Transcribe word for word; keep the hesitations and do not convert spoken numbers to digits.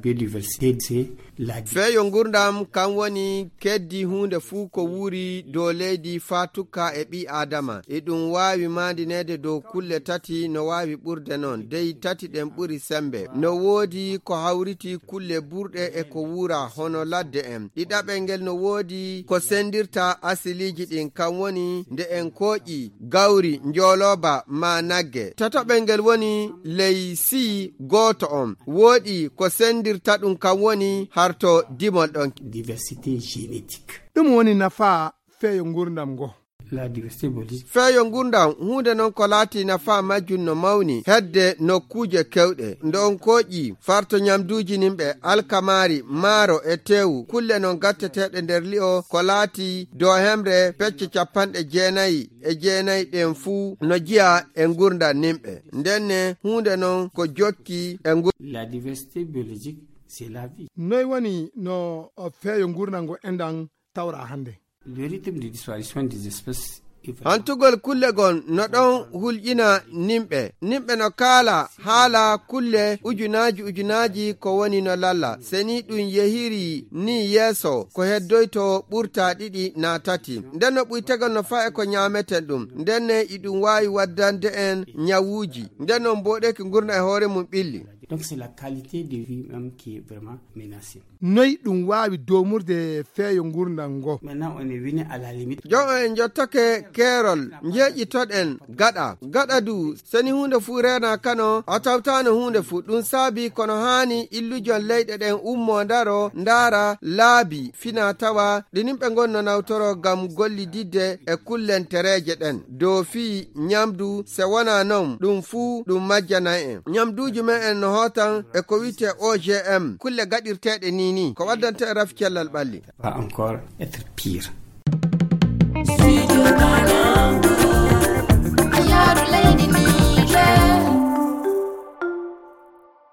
Biodiversité, c'est la... Feeyo ngurndam kam woni keddi huunde fuu ko wuuri dow leydi faa tukka e ɓii Aadama. Eɗum waawi maandineede dow kulle tati, no waawi ɓurde noon. Dey tati ɗen ɓuri semmbe. No woodi ko hawriti kulle burɗe e ko wuura hono ladde en. Ɗiɗaɓel ngel no woodi ko senndirta asiliiji ɗin, kam woni nde en kooƴi gawri, njoolooba maa nagge. Tataɓel ngel woni ley sii gooto on. Woodi ko senndirta ɗum, kam woni harto dimol ɗon. Diversité génétique. Ɗum woni nafaa feeyo ngurndam ngo. La diversité biologique. Feeyo ngurndam, huunde non ko laati nafaa majjum no mawni hedde nokkuuje kewɗe. Nde on kooƴi farto nyamduuji nimɓe, alkamaari, maaro e teewu, kulle non gatteteeɗe nder li'o ko laati dow hemre pecce capanɗe jeenayi e jeenayi ɗen fuu no jiya e ngurndam nimɓe. Ndenne huunde non ko jokki e ngur- La diversité biologique, c'est la vie. Noy woni no, o, feeyo ngurndam ngo enɗan tawra hannde? Le rythme de disparition des espèces est vraiment... Hantugol kulle gon no ɗon hulƴina nimɓe. Nimɓe no kaala haala kulle ujunaaji ujunaaji ko woni no lalla. Se ni ɗum yehiri ni yeeso, ko heddoyto ɓurta ɗiɗi naa tati. Nden no ɓuytegol no faa e ko ñaameten ɗum. Nden ne iɗum waawi waddande en ñawuuji. Nden no mbooɗeeki ngurndan e hoore mum ɓilli. Donc c'est la qualité de vie même qui est vraiment menacée. Noy ɗum waawi doomurde feeyo ngurndan ngo? Maintenant, on est venu à la limite. Jon on en njottake keerol, njeeƴitoɗen gaɗa. Gaɗa du, seni huunde fuu reena kano, a tawtaano huunde fuu. Ɗum saabi kono haani illujon leyɗe ɗen ummoo ndaro, ndaara laabi fina tawa ɗi nimɓe ngon no nawtoro ngam gollididde e kullentereeje ɗen. Dow fii ñamdu, se wonaa non, ɗum fuu ɗum majjanay en. Ñamduuji men en no hootan e ko wi'etee O G M, kulle gaɗirteeɗe nii nii, ko waddanta en rafi cellal ɓalli. Va encore être pire.